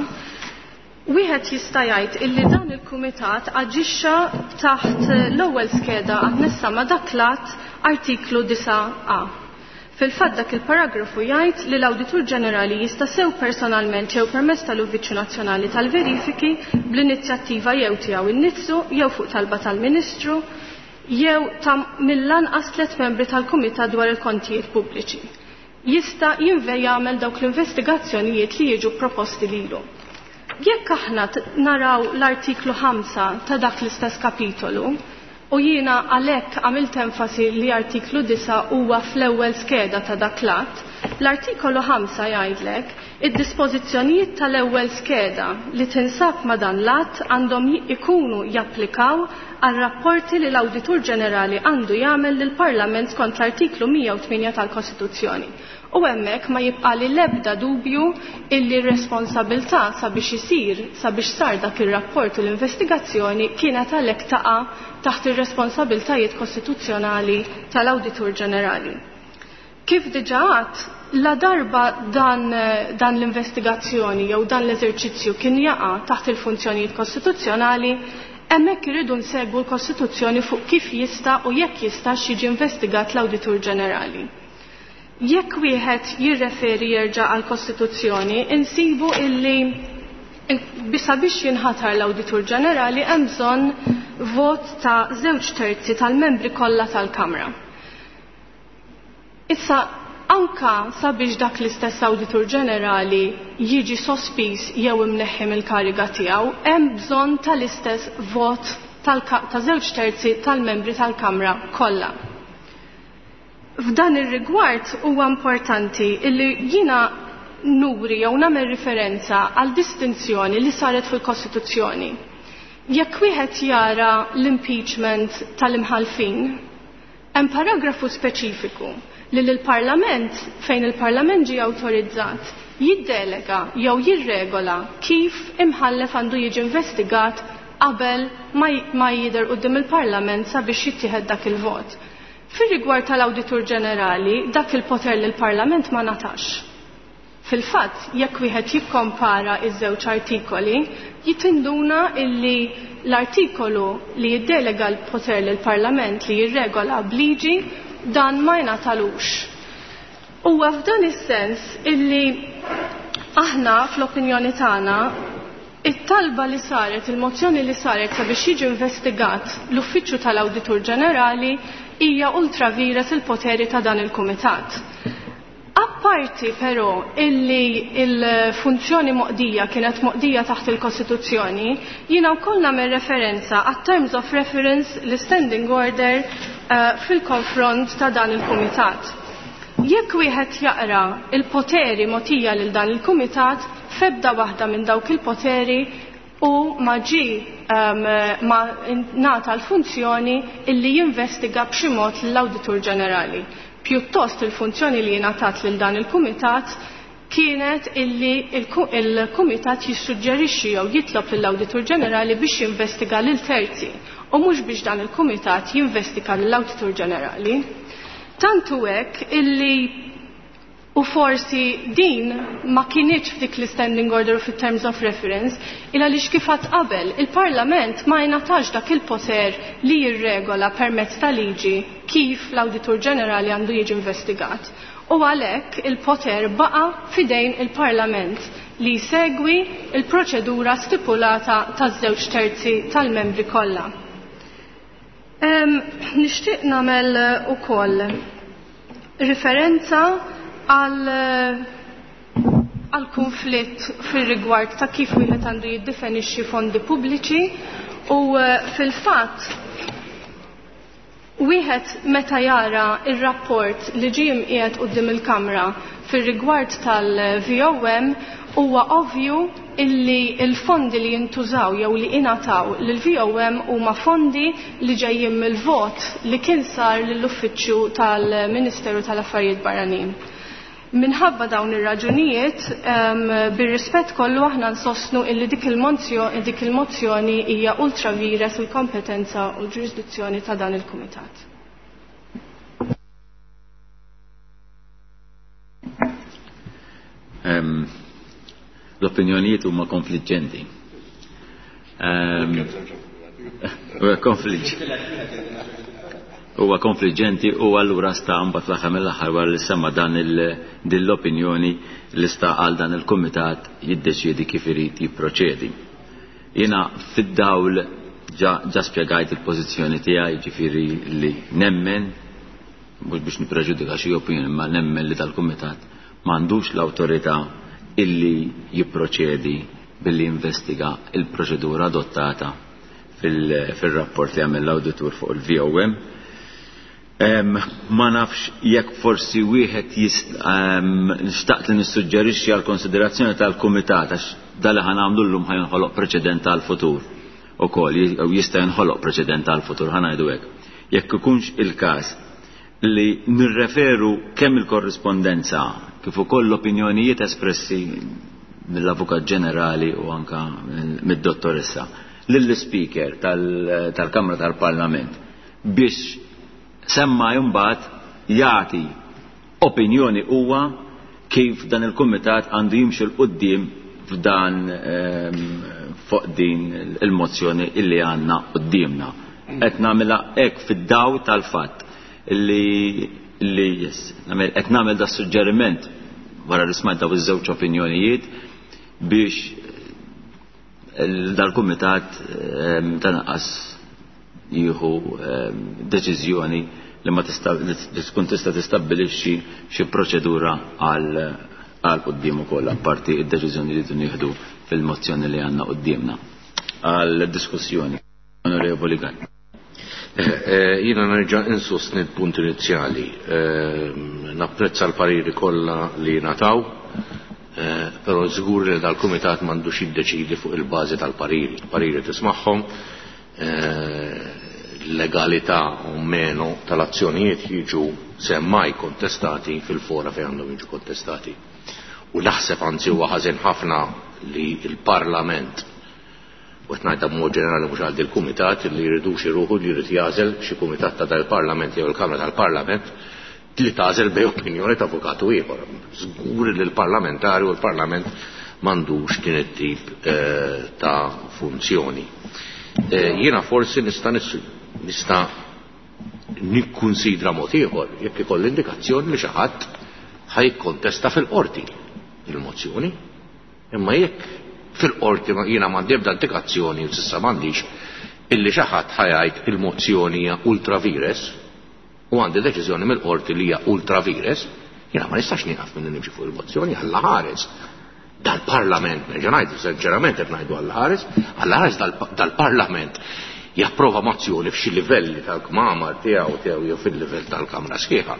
wieħed jista' jgħid illi dan il-Kumitat aġixxa taħt l-ewwel skeda annessa ma' dak l-att artiklu 9A. Fil-fatt dak il-paragrafu jgħid li l-Awditur Ġenerali jista' sew personalment jew permezz tal-Uffiċċju Nazzjonali tal-Verifiki bl-inizjattiva jew tiegħu innifsu jew fuq talba tal-Ministru jew ta' mill-anqas 3 membri tal-Kumitat dwar il-kontijiet pubbliċi. Jista' jinve jagħmel dawk l-investigazzjonijiet li jiġu proposti lilu. Jekk aħna naraw l-artiklu 5 ta' dak l-istess kapitolu, u jiena għalhekk għamilt enfasi li artiklu 9 huwa fl-ewwel skeda ta' dak l-att, l-artikolu 5 jgħidlek id-dispożizzjonijiet tal-ewwel skeda li tinsab ma' dan l-att għandhom ikunu japplikaw għal rapporti li l-Awditur Ġenerali għandu jagħmel lill-Parlament skont l-artiklu 108 tal-Kostituzzjoni. U hemmhekk ma jibqali l-ebda dubju illi r-responsabilità sabiex isir, sabiex sar dak ir-rapport u l-investigazzjoni kienet għalhekk taqa' taħt ir-responsabiltajiet kostituzzjonali tal-Awditur Ġenerali. Kif diġà għadt, la darba dan, dan l-investigazzjoni jew dan l-eżerċizzju kien jaqa' taħt il-funzjonijiet kostituzzjonali, hemmhekk irridu nsegwu l-Kostituzzjoni fuq kif jista' u jekk jistax jiġi investigat l-Awditur Ġenerali. Jekk wieħed jirreferi jerġa' għall-Kostituzzjoni, insibu illi sabiex jinħatar l-Awditur Ġenerali hemm bżonn vot ta' 2/3 tal-membri kollha tal-Kamra. Issa anka sabiex dak l-istess Awditur Ġenerali jiġi sospiż jew imneħħi mill-kariga tiegħu, hemm bżonn tal-istess vot ta' 2/3 tal-membri tal-Kamra kollha. F'dan ir-rigward huwa importanti illi jiena nuri jew nagħmel riferenza għal distinzjoni li saret fil-Kostituzzjoni. Jekk wieħed jara l-impeachment tal-imħalfin, hemm paragrafu speċifiku li l-Parlament, fejn il-Parlament ġie awtorizzat, jiddelega jew jirregola kif imħallef għandu jiġi investigat qabel ma jidher quddiem il-Parlament sabiex jittieħed dak il-vot. Fir-rigward tal-Awditur Ġenerali, dak il-poter lill-Parlament ma ngħatax. Fil-fatt, jekk wieħed jikkompara iż-żewġ artikoli, jitinduna illi l-artikolu li jiddelega l-poter lill-Parlament li jirregola b'liġi dan ma jingħatalux. Huwa f'dan is-sens illi aħna fl-opinjoni tagħna it-talba li saret, il-mozzjoni li saret sabiex jiġi investigat l-Uffiċċju tal-Awditur Ġenerali hija ultra vires il-poteri ta' dan il-Kumitat. Apparti però illi il-funzjoni moqdija kienet moqdija taħt il-Kostituzzjoni, jiena wkoll nagħmel referenza għat terms of reference l-standing order fil-konfront ta' dan il-Kumitat. Jekk wieħed jaqra il-poteri mogħtija lil dan il-Kumitat, f'ebda waħda minn dawk il-poteri u ma ġie ma ngħata l-funzjoni illi jinvestiga b'xi mod lill-Awditur Ġenerali. Pjuttost il-funzjoni li ngħatat lil dan il-Kumitat kienet illi il-Kumitat jissuġġerixxi jew jitlob lill-Awditur Ġenerali biex jinvestiga lil terzi u mhux biex dan il-Kumitat jinvestiga lill-Awditur Ġenerali. Tant hu hekk illi u forsi din ma kinitx f'dik l-standing order u fit-terms of reference, il għaliex kif għadt qabel il-Parlament ma jingħatax dak il-poter li jirregola permezz ta' liġi kif l-Awditur Ġenerali għandu jiġi investigat. U għalhekk il-poter baqa' fidejn il-Parlament li jsegwi il-proċedura stipulata taż-żewġ terzi tal-membri kollha. Nixtieq nagħmel ukoll referenza għal konflitt fir-rigward ta' kif wieħed għandu jiddefinixxi fondi pubbliċi u fil-fatt wieħed meta jara ir-rapport li ġie mqiegħed quddiem il-Kamra fir-rigward tal-VOM huwa ovvju illi il-fondi li jintużaw jew li ingħataw lill-VOM huma fondi li ġejjin mill-vot li kien sar lill-Uffiċċju tal-Ministeru tal-Affarijiet Barranin. Minħabba dawn ir-raġunijiet, bir-rispett kollu aħna nsostnu illi dik il-mozzjoni hija ultra vires il-kompetenza u l-ġurisdizzjoni ta' dan il-Kumitat. L-opinjonijiet huma konfliġġenti. Huwa konfliġġenti u allura sta mbagħad fl-aħħar mill-aħħar wara li semma dan din l-opinjoni li sta għal dan il-kumitat jiddeċiedi kif irid jipproċedi. Jiena fid-dawl ġa spjegajt il-pożizzjoni tiegħi, jiġifieri li nemmen, mhux biex nippreġudika xi opinjoni, imma nemmen li dal-kumitat m'għandux l-awtorità illi jipproċedi billi jinvestiga il-proċedura adottata fil-rapport li għamel l-awditur fuq il-VOM. Ma nafx jekk forsi wieħed nixtaqt li nissuġġerixxi għal konsiderazzjoni tal-kumitat għax dal li ħanamlu llum ħajnħoloq preċedent għal-futur ukoll jew jista' jinħoloq preċedent għal-futur ħanajdu hekk. Jekk ikunx il-każ li nirreferu kemm il-korrispondenza kif ukoll l-opinjonijiet espressi mill-Avukat Ġenerali u anka mid-dottoressa lill-Speaker tal-Kamra tal-Parlament biex semma imbagħad jagħti opinjoni huwa kif dan il-kumitat għandu jimxi 'l quddiem f'dan fuq din il-mozzjoni illi għandna quddiemna. Qed nagħmilha hekk fid-daw tal-fatt illi li yes, qed nagħmel da suġġeriment wara li smajt daw iż-żewġ opinjonijiet biex dal-kumitat tanqas jieħu deċiżjoni li ma tista' li tkun tista' tistabbilixxi xi proċedura għal għal quddiem ukoll apparti id-deċiżjoni li nieħdu fil-mozzjoni li għandna quddiemna għal diskussjoni. Onorevoli Gatt. Jiena nerġa' insostni l-punt inizjali. Napprezza l-pariri kollha li nataw, però żgur li dal-kumitat m'għandux jiddeċidi fuq il-bażi tal-pariri. Pariri tismagħhom, l-legalità u meno tal-azzjonijiet jiġu semmai kontestati fil-fora fejn għandhom jiġu kontestati. U naħseb anzi huwa ħażin ħafna li l-Parlament u qed ngħidha b'mod ġenerali mhux għal il-kumitat li jridux iruħu li jrid jagħżel xi kumitat ta' dal-Parlament jew il-Kamra tal-Parlament li tagħżel bej opinjoni ta' avukatu ieħor. Żgur li l-parlamentari u l-Parlament m'għandux din it-tip ta' funzjoni. Jiena forsi nista' nista' nikkunsidra mod ieħor jekk ikolli indikazzjoni li xi ħadd ħajkkontesta fil-qorti il-mozzjoni. Imma jekk fil-qorti jiena m'għandi ebda indikazzjoni u s'issa m'għandix illi xi ħadd ħajgħid il-mozzjoni hija ultra vires u għandi deċiżjoni mill-qorti li hija ultra vires, jiena ma nistax nieqaf milli nimxi fuq il-mozzjoni Alla ħares. Dal-Parlament, nerġa' ngħidu sinċerament qed ngħidu Alla ħares, Alla ħares dal-Parlament japprova mozzjoni f'xi livelli tal-kmamar tiegħu tiegħu jew fil-livell tal-Kamra sħiħa.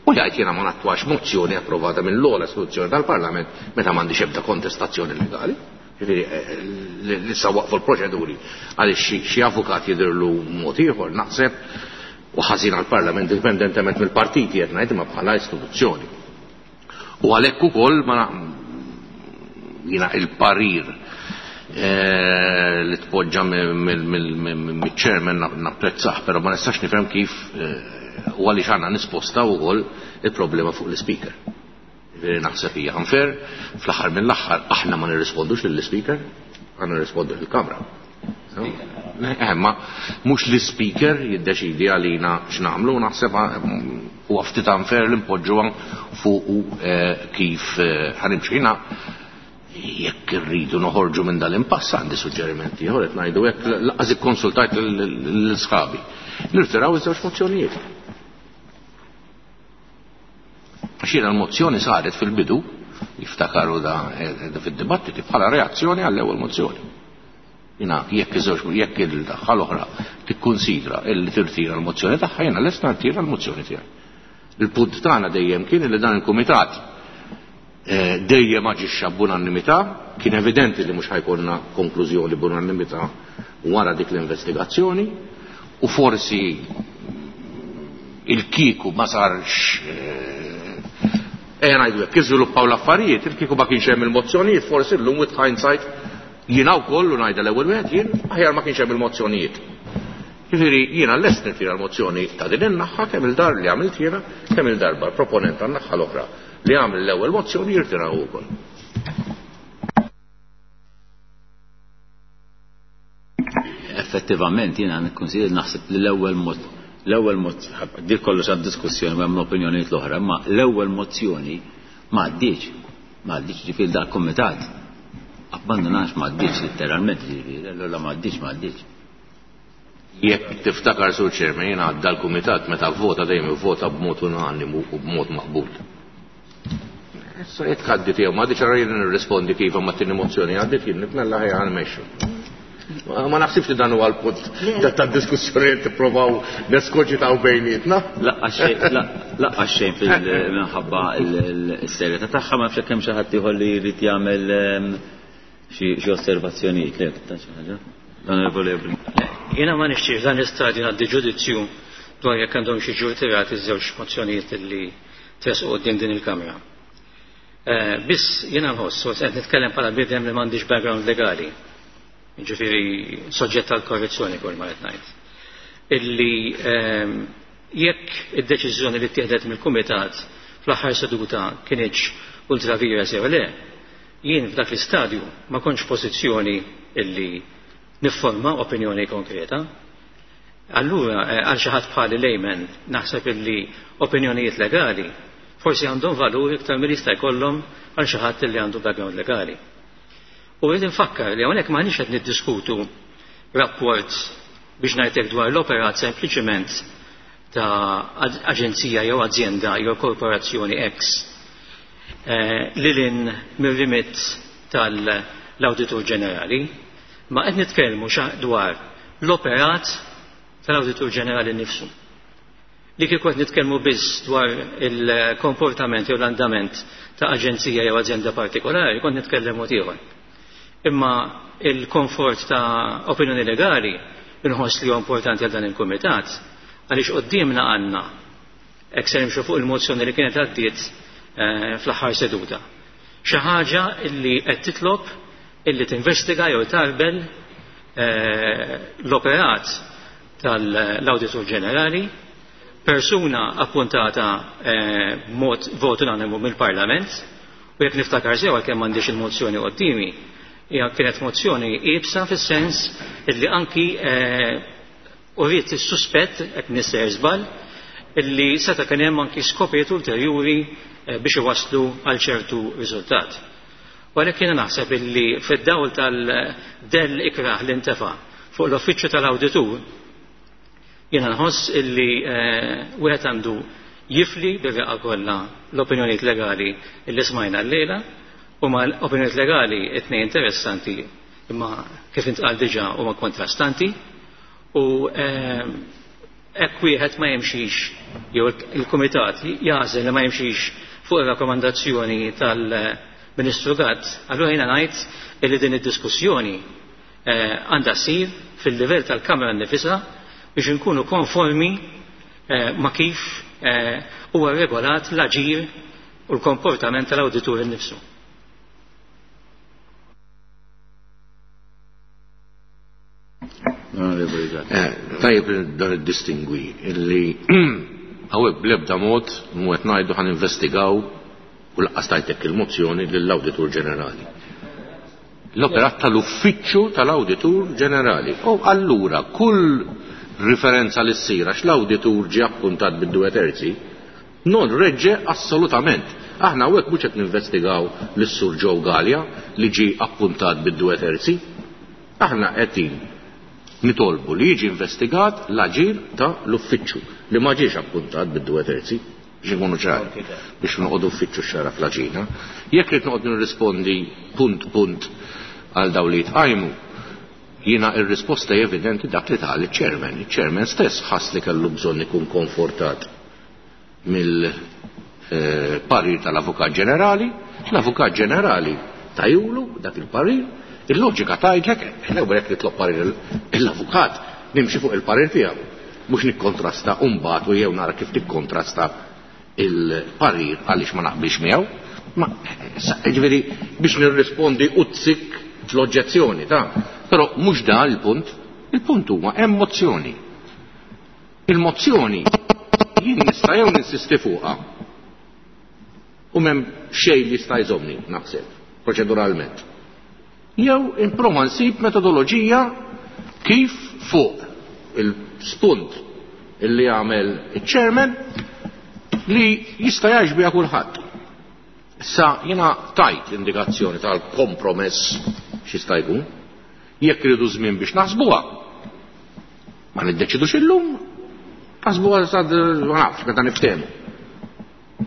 U jgħid jiena ma nattwax mozzjoni approvata mill-ogħla istituzzjoni tal-Parlament meta m'għandix ebda kontestazzjoni legali. Ġifieri li sa waqfu l-proċeduri għaliex xi avukat jidhirlu mod ieħor naħseb u ħażin għall-Parlament indipendentement mill-partiti qed ngħid imma bħala istituzzjoni. U għalhekk ukoll ma jiena il-parir li tpoġġa mill-chairman napprezzah, però ma nistax nifhem kif u għaliex għandna nisposta wkoll il-problema fuq l-speaker. Ġifieri naħseb hija unfair, fl-aħħar mill-aħħar aħna ma nirrispondux lill-speaker, għandna nirrispondu lill-Kamra. Ma mhux l-speaker jiddeċidi għalina x'nagħmlu, naħseb huwa ftit unfair li npoġġuha fuq kif ħanimxu. Jiena jekk irridu noħorġu minn dal-impass għandi suġġerimenti ieħor qed ngħidu hekk laqas ikkonsultajt l-sħabi. Nirtiraw iż-żewġ mozzjonijiet. Għax jiena l-mozzjoni saret fil-bidu, jiftakaru da fid-dibattiti bħala reazzjoni għall-ewwel mozzjoni. Jiena jekk iż-żewġ jekk il-daħħa l-oħra tikkunsidra illi tirtira l-mozzjoni tagħha, jiena lest nirtira l-mozzjoni tiegħi. Il-punt tagħna dejjem kien li dan il-kumitat dejjem aġixxa b'unanimità, kien evidenti li mhux ħajkollna konklużjoni b'unanimità wara dik l-investigazzjoni, u forsi il-kieku ma sarx ejja ngħidu hekk, iżviluppaw l-affarijiet, il-kieku ma kienx hemm il-mozzjonijiet, forsi llum with hindsight jiena wkoll u ngħidha l-ewwel wieħed jien aħjar ma kienx hemm il-mozzjonijiet. Ġifieri jiena lest nirtira l-mozzjoni ta' din in-naħa kemm il-dar li għamilt jiena, kemm il-darba l-proponent tan-naħa l-oħra li għamel l-ewwel mozzjoni jirtiraw ukoll. Effettivament jiena nikkonsidra naħseb li l-ewwel mod l-ewwel mod dik kollox għad-diskussjoni u hemm l-opinjonijiet l-oħra, imma l-ewwel mozzjoni ma għaddiex, ma għaddiex ġifieri dal-kumitat. Abbandonax ma għaddiex letteralment ġifieri, allura ma għaddiex ma għaddiex. Jekk tiftakar Sur Chairman, jiena għadda l-kumitat meta vvota dejjem ivvota b'mod unanimu u b'mod maqbul. Issa jekk għaddit jew ma għadditx allura jien nirrispondi kif ma tieni mozzjoni għaddit jien nitmella ħajja nmexxu. Ma naħsibx li dan huwa l-punt tad-diskussjoni li tipprovaw neskoġitaw bejnietna. Laqqa xejn fil-minħabba l-serjetà tagħha ma nafx hemm xi ħadd ieħor li jrid jagħmel xi osservazzjonijiet le ta' xi ħaġa. L-Onorevoli Ebrin. Jiena ma nixtiex dan l-istadju ngħaddi ġudizzju dwar jekk għandhom xi jiġu rtirati ż-żewġ mozzjonijiet li tressqu quddiem din il-Kamra. Biss jiena nħoss, u qed nitkellem bħala bniedem li m'għandix background legali, jiġifieri soġġett għal korrezzjoni kull ma qed ngħid, illi jekk id-deċiżjoni li ttieħdet mill-Kumitat fl-aħħar seduta kinitx ultra vires jew le, jien f'dak l-istadju ma kontx f'pożizzjoni illi nifforma opinjoni konkreta. Allura, għal xi ħadd bħali layman, naħseb illi opinjonijiet legali forsi għandhom valur iktar milli jista' jkollhom għal xi ħadd illi għandu background legali. U rrid infakkar li hawnhekk m'aħniex qed niddiskutu rapport biex ngħidlek dwar l-operat sempliċement ta' aġenzija jew azjenda jew korporazzjoni X lil hinn mir-rimit tal-Awditur Ġenerali, ma qed nitkellmu dwar l-operat tal-Awditur Ġenerali nnifsu. Li kieku qed nitkellmu biss dwar il-komportament jew l-andament ta' aġenzija jew azjenda partikolari, kont nitkellem mod ieħor. Imma il-komfort ta' opinjoni legali inħoss li huwa importanti għal dan il-kumitat, għaliex quddiemna għandna hekk se nimxu fuq il-mozzjoni li kienet għaddiet fl-aħħar seduta. Xi ħaġa li qed titlob illi tinvestiga jew tarbel l-operat tal-Awditur Ġenerali, persuna appuntata b'mod vot unanimu mill-Parlament, u jekk niftakar sew għalkemm m'għandix il-mozzjoni quddiemi, hija kienet mozzjoni iebsa fis-sens illi anki uriet is-suspett, hekk nisser żball, illi seta' kien hemm anki skopijiet ulterjuri biex iwasslu għal ċertu riżultat. U għalhekk jiena naħseb illi fid-dawl tal-dell ikrah li ntefa' fuq l-uffiċċju tal-awditur, jiena nħoss illi wieħed għandu jifli bir-reqqa kollha l-opinjonijiet legali illi smajna llejla, u ma l-opinjonijiet legali it-tnejn interessanti imma kif intqal diġà huma kontrastanti, u hekk wieħed ma jimxix jew il-kumitat jagħżel li ma jimxix fuq ir-rakkomandazzjoni tal-Ministru Gatt, allura jiena ngħid illi din id-diskussjoni għandha ssir fil-livell tal-Kamra nnifisha biex inkunu konformi ma' kif huwa regolat l-aġir u l-komportament tal-awditur innifsu. Tajjeb dan id-distingwi illi hawnhekk bl-ebda mod mhu qed ngħidu ħan investigaw u laqqas tajtek il-mozzjoni lill-Awditur Ġenerali. L-operat tal-Uffiċċju tal-Awditur Ġenerali. U allura kull riferenza li ssir għax l-awditur ġie appuntat bid-due terzi non reġġe assolutament. Aħna hawnhekk mhux qed ninvestigaw lis-Sur Joe Galea li ġie appuntat bid-due terzi. Aħna qegħdin nitolbu li jiġi investigat l-aġir ta' l-uffiċċju li ma ġiex appuntat bid-due terzi, biex ikunu ċari, biex noqogħdu uffiċċju xara fl-aġina. Jekk rid noqgħod nirrispondi punt punt għal dawn li jitqajmu, jiena r-risposta hi evidenti dak li qal iċ-chairman. Iċ-chairman stess ħass li kellu bżonn ikun konfortat mill-parir tal-Avukat Ġenerali, l-Avukat Ġenerali tajulu dak il-parir. Il-loġika tgħidlek, l-ewwel jekk nitlob parir l-avukat, nimxi fuq il-parir tiegħu, mhux nikkontrasta u mbagħad u jew nara kif tikkontrasta il-parir għaliex ma naqbilx miegħu. Ma ġifieri biex nirrispondi u tsik l-oġġezzjoni ta' però mhux dan il-punt. Il-punt huwa hemm mozzjoni. Il-mozzjoni jien nista' jew ninsisti fuqha u m'hemm xejn li jista' jżommni naħseb proċeduralment. Jew improva nsib metodoloġija kif fuq il-spunt illi għamel il-chairman li jista' jgħix biha kulħadd. Issa jiena tajt indikazzjoni tal-kompromess x'jista' jkun, jekk iridu żmien biex naħsbuha. Ma niddeċidux illum, naħsbuha sad ma nafx meta niftehmu.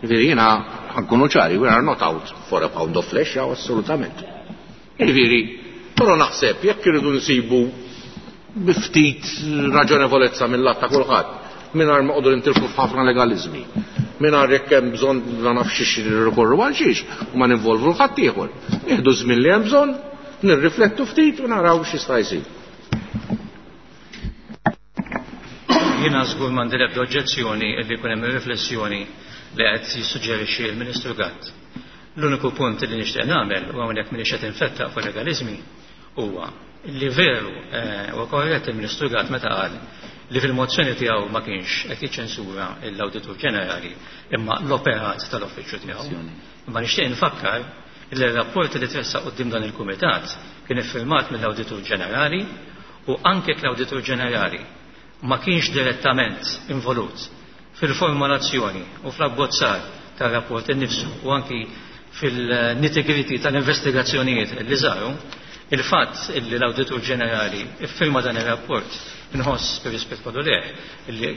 Ġifieri jiena Ħa nkunu ċari, we are not out for a pound of flesh, assolutament. Jiġifieri, però naħseb jekk irridu nsibu bi ftit raġonevolezza mill-lat ta' kulħadd, mingħajr ma noqogħdu nintilfu f'ħafna legaliżmi, mingħajr jekk hemm bżonn ma nafx xiex nirrikorru għal xiex u ma ninvolvu 'l ħaddieħor. Nieħdu żmien li hemm bżonn, nirriflettu ftit u naraw x'jista' jsir. Jiena żgur m'għandi l-ebda oġġezzjoni li jkun hemm riflessjoni li qed jissuġġerixxi l-Ministru Gatt. L-uniku punt li nixtieq nagħmel, u hawnhekk m'iniex qed infettaq fuq legaliżmi, huwa li veru huwa korrett il-Ministru Gatt meta qal li fil-mozzjoni tiegħu ma kienx qed jiċċensura l-Awditur Ġenerali imma l-operat tal-uffiċċju tiegħu. Imma nixtieq infakkar li r-rapport li tressaq quddiem dan il-Kumitat kien iffirmat mill-Awditur Ġenerali u anke l-Awditur Ġenerali ma kienx direttament involut fil-formulazzjoni u fl-abbozzar tar-rapport innifsu u anki fil-nitty-gritty tal-investigazzjonijiet li saru, il-fatt li l-Awditur Ġenerali iffirma dan ir-rapport inħoss bir-rispett kollu lejh li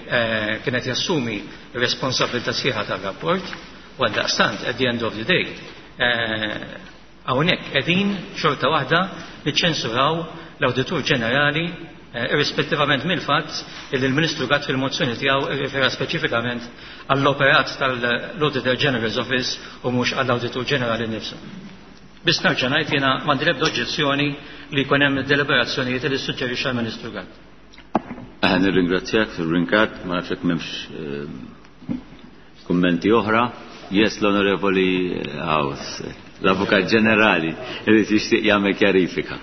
kienet jassumi r-responsabilità sħiħa tar-rapport u għaldaqstant at the end of the day hawnhekk qegħdin xorta waħda niċċensuraw l-Awditur Ġenerali irrispettivament mill-fatt li l-Ministru Gatt fil-mozzjoni tiegħu rrifera speċifikament għall-operat tal-Auditor General's Office u mhux għall-Awditur Ġenerali nnifsu. Biss nerġa' ngħid jiena m'għandi l-ebda oġġezzjoni li jkun hemm deliberazzjonijiet li ssuġġerixxa l-Ministru Gatt. Nirringrazzjak, Sur Brincat, ma nafx jekk m'hemmx kummenti oħra. Yes, l-Onorevoli House, l-Avukat Ġenerali, irid jixtieq jagħmel kjarifika.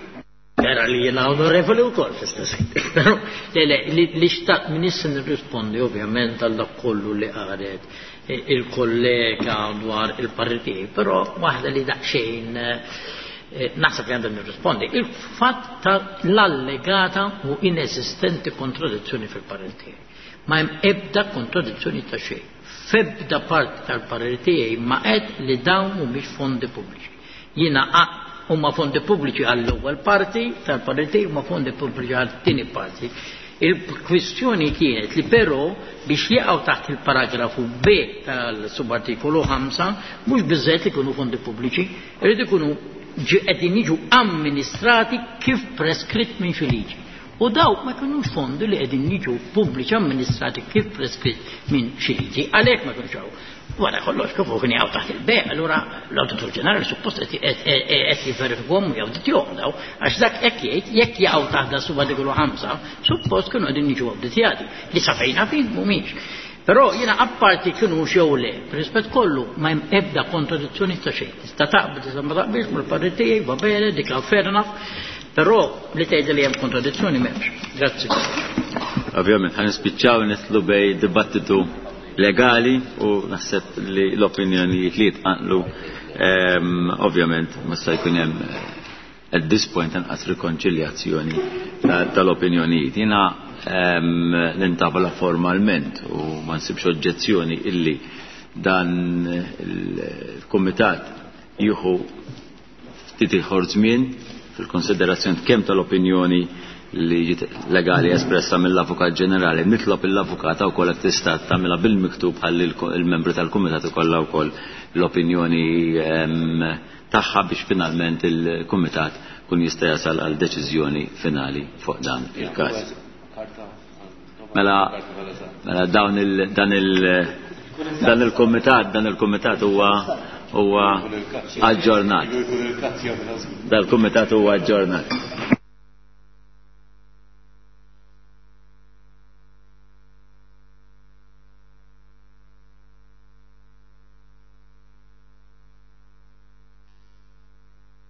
Era li jiena onorevoli wkoll fl-istess ħin. Però le le li xtaqt m'iniex se nirrispondi ovvjament għal dak kollu li qalet il-kollega dwar il-parir tiegħi, però waħda li daqsxejn naħseb li għandha nirrispondi. Il-fatt ta' l-allegata u inesistenti kontradizzjoni fil-parir tiegħi. Ma hemm ebda kontradizzjoni ta' xejn. F'ebda parti tal-parir tiegħi ma qed li dawn mhumiex fondi pubbliċi. Jiena huma fondi pubbliċi għall-ewwel parti tal-parir tiegħi, huma fondi pubbliċi għall-tieni parti. Il-kwistjoni kienet li però biex jaqgħu taħt il-paragrafu B tal-subartikolu 5 mhux biżżejjed li jkunu fondi pubbliċi, irid ikunu qegħdin jiġu amministrati kif preskritt minn xi liġi. U dawk ma jkunux fondi li qegħdin jiġu pubbliċi amministrati kif preskritt minn xi liġi, għalhekk ma jkunux hawn. Wara kollox kif kien jaqgħu taħt il-B, allura l-Awditur Ġenerali suppost qed jivverifikhom u jawditjhom daw, għax dak hekk jgħid jekk jaqgħu taħt da subartikolu 5, suppost kienu qegħdin jiġu awditjati, li sa fejn nafin mhumiex. Però jiena apparti kienu jew le, b'rispett kollu ma hemm ebda kontradizzjoni ta' xejn. Tista' taqbel, tista' ma taqbilx mal-parir tiegħi, va bene, dik fair enough, però li tgħid li hemm kontradizzjoni m'hemmx. Grazzi. Ovvjament ħa nispiċċaw nidħlu bejn dibattitu legali u naħseb li l-opinjonijiet li jitqanqlu ovvjament ma se jkun hemm at this point anqas rikonċiljazzjoni tal-opinjonijiet. Jiena nintavola formalment u ma nsibx oġġezzjoni illi dan il-kumitat jieħu ftit ieħor żmien fil-konsiderazzjoni kemm tal-opinjoni li ġiet legali espressa mill-Avukat Ġenerali, nitlob l-Avukat wkoll qed tista' tagħmilha bil-miktub ħalli il-membri tal-kumitat ikollha wkoll l-opinjoni tagħha biex finalment il-kumitat kun jista' jasal għal deċiżjoni finali fuq dan il-każ. Mela, mela dawn il, dan il, dan il-kumitat, dan il-kumitat huwa huwa aġġornat. Dal-kumitat huwa aġġornat.